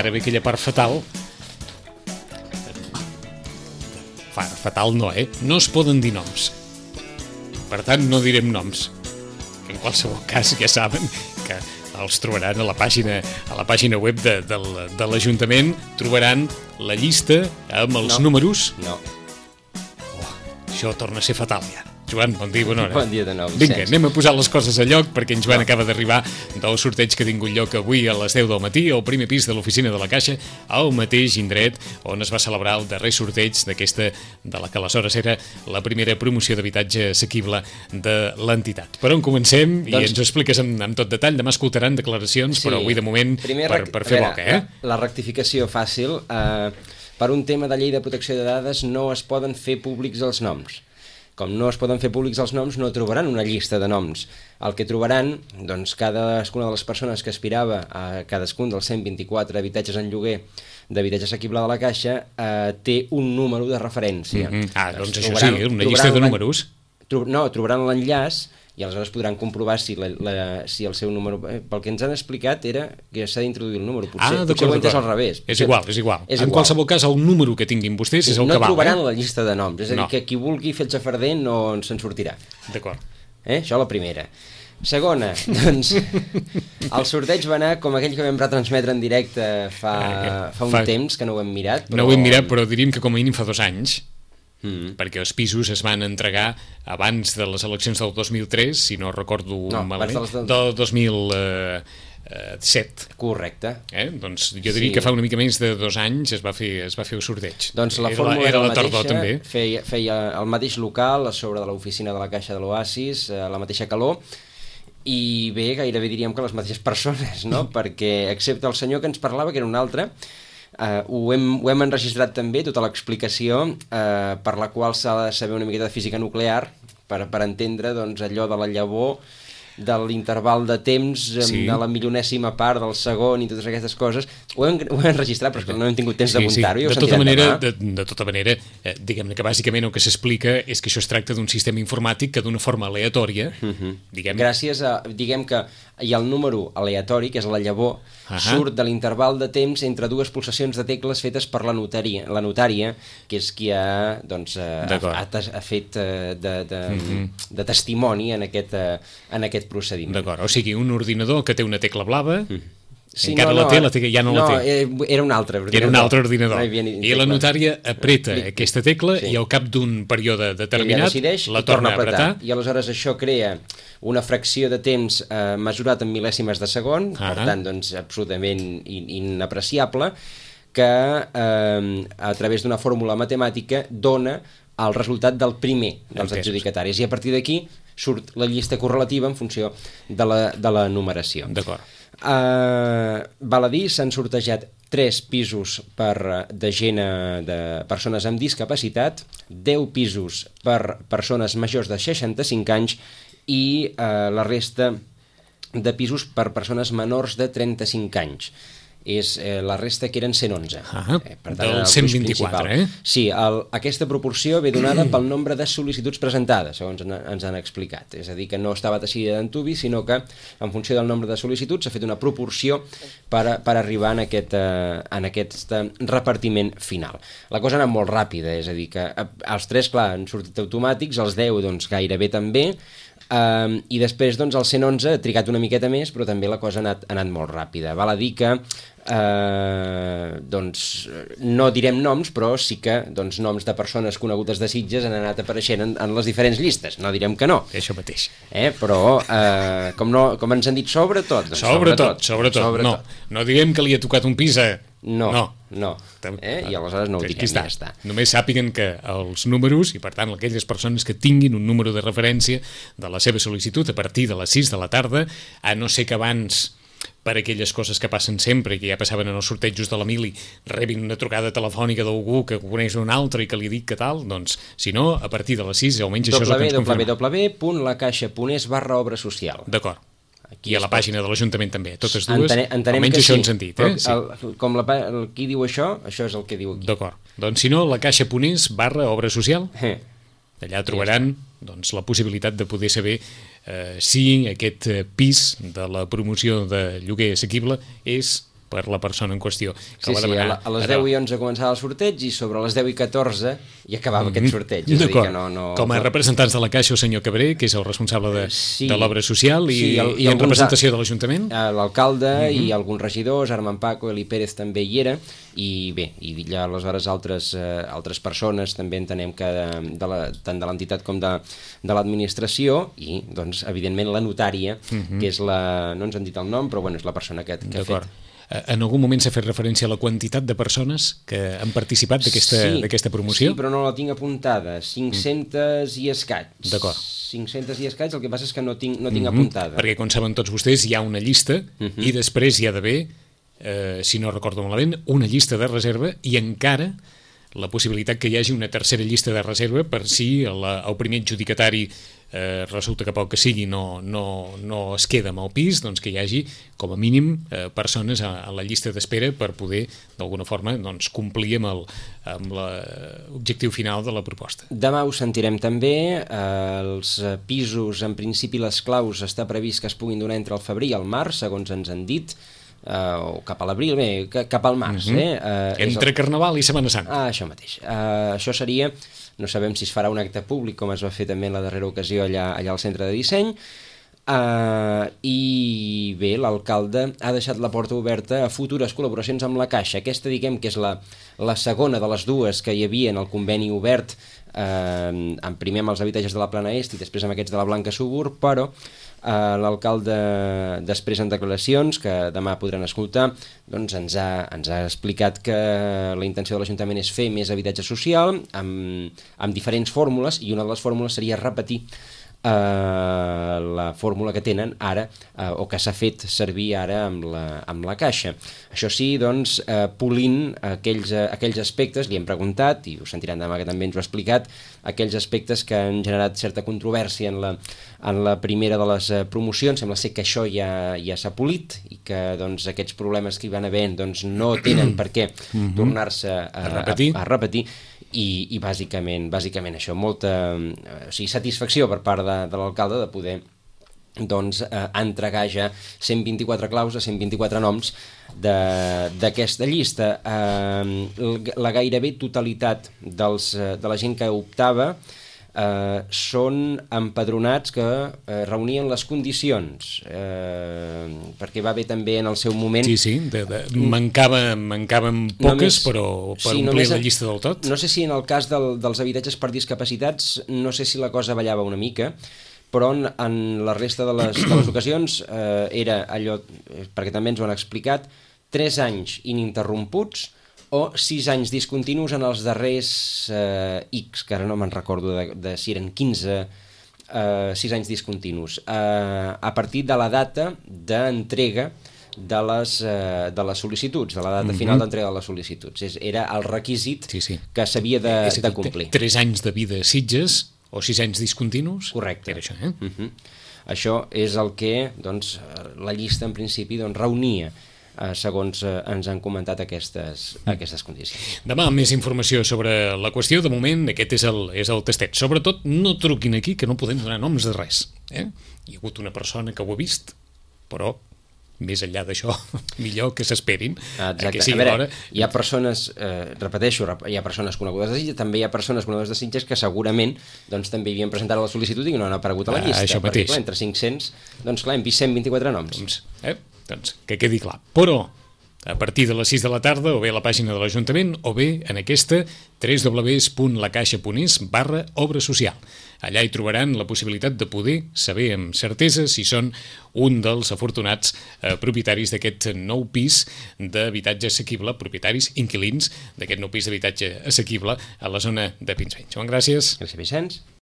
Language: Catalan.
ara ve aquella part fatal. Fatal no, no es poden dir noms. Per tant, no direm noms. En qualsevol cas, ja saben que els trobaran a la pàgina web de l'Ajuntament, trobaran la llista amb els números. No. Això torna a ser fatal, ja. Joan, bon dia, bona hora. Bon dia de nou, Vinga, Vicenç. anem a posar les coses a lloc perquè en Joan acaba d'arribar del sorteig que ha tingut lloc avui a les 10 del matí al primer pis de l'oficina de la Caixa, al mateix indret on es va celebrar el darrer sorteig d'aquesta, de la que aleshores era la primera promoció d'habitatge assequible de l'entitat. Per on comencem? I ens ho expliques amb tot detall. Demà escoltaran declaracions, però avui de moment per fer boca. La rectificació fàcil. Per un tema de llei de protecció de dades no es poden fer públics els noms. Com no es poden fer públics els noms, no trobaran una llista de noms. El que trobaran, doncs, cadascuna de les persones que aspirava a cadascun dels 124 habitatges en lloguer d'habitatge assequible de la Caixa té un número de referència. Doncs això sí, una llista de números. No, trobaran l'enllaç i aleshores podran comprovar si el seu número... Pel que ens han explicat era que s'ha d'introduir el número. Potser ho he entès al revés. És igual. En qualsevol cas, el número que tinguin vostès és el que val. No trobaran la llista de noms. És a dir, que qui vulgui fer el xafarder no se'n sortirà. D'acord. Això la primera. Segona, doncs, el sorteig va anar com aquell que vam retransmetre en directe fa un temps, que no ho hem mirat. No ho hem mirat, però diríem que com a mínim fa 2 anys. Perquè els pisos es van entregar abans de les eleccions del 2003, si no recordo malament, del 2007. Correcte. Doncs jo diria que fa una mica més de 2 anys es va fer el sorteig. Doncs la fórmula era la mateixa, feia el mateix local a sobre de l'oficina de la Caixa de l'Oasis, la mateixa calor, i bé, gairebé diríem que les mateixes persones, no? Perquè excepte el senyor que ens parlava, que era un altre, ho hem enregistrat també, tota l'explicació per la qual s'ha de saber una miqueta de física nuclear per entendre doncs, allò de la llavor, de l'interval de temps, de la milionèsima part del segon i totes aquestes coses. Ho hem enregistrat, però no hem tingut temps d'apuntar-ho. De tota manera, diguem-ne que bàsicament el que s'explica és que això es tracta d'un sistema informàtic que d'una forma aleatòria, gràcies a, diguem que hi ha el número aleatori, que és la llavor, surt de l'interval de temps entre 2 pulsacions de tecles fetes per la notària, que és qui ha fet de testimoni en aquest procediment. D'acord, o sigui, un ordinador que té una tecla blava, encara la té, ja no la té. Era un altre ordinador. Era un altre ordinador. I la notària apreta aquesta tecla i al cap d'un període determinat la torna a apretar. I aleshores això crea una fracció de temps mesurat en mil·lèsimes de segon, per tant, doncs, absolutament inapreciable, que a través d'una fórmula matemàtica dona el resultat del primer dels adjudicataris. I a partir d'aquí surt la llista correlativa en funció de la numeració. D'acord. Val a dir, s'han sortejat 3 pisos de persones amb discapacitat, 10 pisos per persones majors de 65 anys i la resta de pisos per persones menors de 35 anys. La resta que eren 111. Del 124, Sí, aquesta proporció ve donada pel nombre de sol·licituds presentades, segons ens han explicat. És a dir, que no estava decidida d'antuvi, sinó que en funció del nombre de sol·licituds s'ha fet una proporció per arribar en aquest repartiment final. La cosa ha anat molt ràpida, és a dir, que els 3, clar, han sortit automàtics, els 10 doncs, gairebé també, i després doncs, el 111 ha trigat una miqueta més, però també la cosa ha anat molt ràpida. Val a dir que doncs no direm noms, però sí que noms de persones conegudes de Sitges han anat apareixent en les diferents llistes, no direm que no. Això mateix. Però com ens han dit, sobretot. No direm que li ha tocat un pis a... No. I aleshores no ho direm, ja està. Només sàpiguen que els números, i per tant aquelles persones que tinguin un número de referència de la seva sol·licitud a partir de les 6 de la tarda, a no ser que abans, per aquelles coses que passen sempre, que ja passaven en els sortejos de la Mili, rebin una trucada telefònica d'algú que coneix un altre i que li dic que tal, doncs, si no, a partir de les 6, almenys això és el que ens confirma. www.lacaixa.es/obra social. D'acord. I a la pàgina de l'Ajuntament també, totes dues, almenys això ens han dit. Com qui diu això és el que diu aquí. D'acord. Doncs si no, lacaixa.es/obra social, allà trobaran la possibilitat de poder saber si aquest pis de la promoció de lloguer assequible és per la persona en qüestió. Sí, a les 10 i 11 començava el sorteig i sobre les 10 i 14 hi acabava aquest sorteig. D'acord. Com a representants de la Caixa, el senyor Cabré, que és el responsable de l'obra social i en representació de l'Ajuntament. L'alcalde i alguns regidors, Armand Paco, Eli Pérez també hi era, i bé, i ja aleshores altres persones també entenem que tant de l'entitat com de l'administració, i doncs evidentment la notària, que és no ens han dit el nom, però bueno, és la persona que ha fet. En algun moment s'ha fet referència a la quantitat de persones que han participat d'aquesta promoció? Sí, però no la tinc apuntada. 500 i escaig. D'acord. 500 i escaig, el que passa és que no tinc apuntada. Perquè, com saben tots vostès, hi ha una llista i després hi ha d'haver, si no recordo malament, una llista de reserva i encara la possibilitat que hi hagi una tercera llista de reserva per si el primer adjudicatari resulta que pel que sigui no es queda amb el pis, doncs que hi hagi com a mínim persones a la llista d'espera per poder d'alguna forma doncs, complir amb l'objectiu final de la proposta. Demà ho sentirem també, els pisos, en principi les claus està previst que es puguin donar entre el febrer i el març, segons ens han dit, o cap a l'abril, cap al març. Entre Carnaval i Setmana Santa. Això mateix. Això seria, no sabem si es farà un acte públic, com es va fer també en la darrera ocasió allà al centre de disseny, i bé, l'alcalde ha deixat la porta oberta a futures col·laboracions amb la Caixa. Aquesta, diguem que és la segona de les dues que hi havia en el conveni obert, primer amb els habitatges de la Plana Est i després amb aquests de la Blanca Subur, però l'alcalde, després en declaracions que demà podran escoltar, doncs ens ha explicat que la intenció de l'Ajuntament és fer més habitatge social amb diferents fórmules, i una de les fórmules seria repetir la fórmula que tenen ara o que s'ha fet servir ara amb la Caixa. Això sí, doncs, polint aquells aspectes, li hem preguntat, i ho sentiran demà que també ens ho ha explicat, aquells aspectes que han generat certa controvèrsia en la primera de les promocions. Sembla ser que això ja s'ha polit i que doncs, aquests problemes que hi van haver doncs, no tenen per què tornar-se a repetir. I bàsicament això, molta satisfacció per part de l'alcalde de poder doncs, entregar ja 124 claus a 124 noms d'aquesta llista. La gairebé totalitat de la gent que optava són empadronats que reunien les condicions, perquè va haver també en el seu moment... Sí, mancaven poques, però per omplir la llista del tot. No sé si en el cas dels habitatges per discapacitats, no sé si la cosa ballava una mica, però en la resta de les ocasions era allò, perquè també ens ho han explicat, 3 anys ininterromputs o 6 anys discontinus en els darrers X, que ara no me'n recordo de si eren 15, 6 anys discontinus, a partir de la data d'entrega de les sol·licituds, de la data final d'entrega de les sol·licituds. Era el requisit que s'havia de complir. 3 anys de vida a Sitges o 6 anys discontinus? Correcte. Era això, Això és el que doncs, la llista en principi reunia, segons ens han comentat aquestes condicions. Demà més informació sobre la qüestió. De moment aquest és el tastet. Sobretot no truquin aquí, que no podem donar noms de res. Hi ha hagut una persona que ho ha vist, però més enllà d'això, millor que s'esperin. Exacte. A veure, hi ha persones, repeteixo, hi ha persones conegudes de Sitges, també hi ha persones conegudes de Sitges que segurament doncs, també havien presentat la sol·licitud i no han aparegut a la llista. Això mateix. Perquè, entre 500, doncs clar, hem vist 124 noms. Doncs que quedi clar. Però a partir de les 6 de la tarda, o bé a la pàgina de l'Ajuntament, o bé en aquesta www.lacaixa.es/obra social. Allà hi trobaran la possibilitat de poder saber amb certesa si són un dels afortunats propietaris d'aquest nou pis d'habitatge assequible, propietaris, inquilins d'aquest nou pis d'habitatge assequible a la zona de Pinsbeny. Joan, gràcies. Gràcies, Vicenç.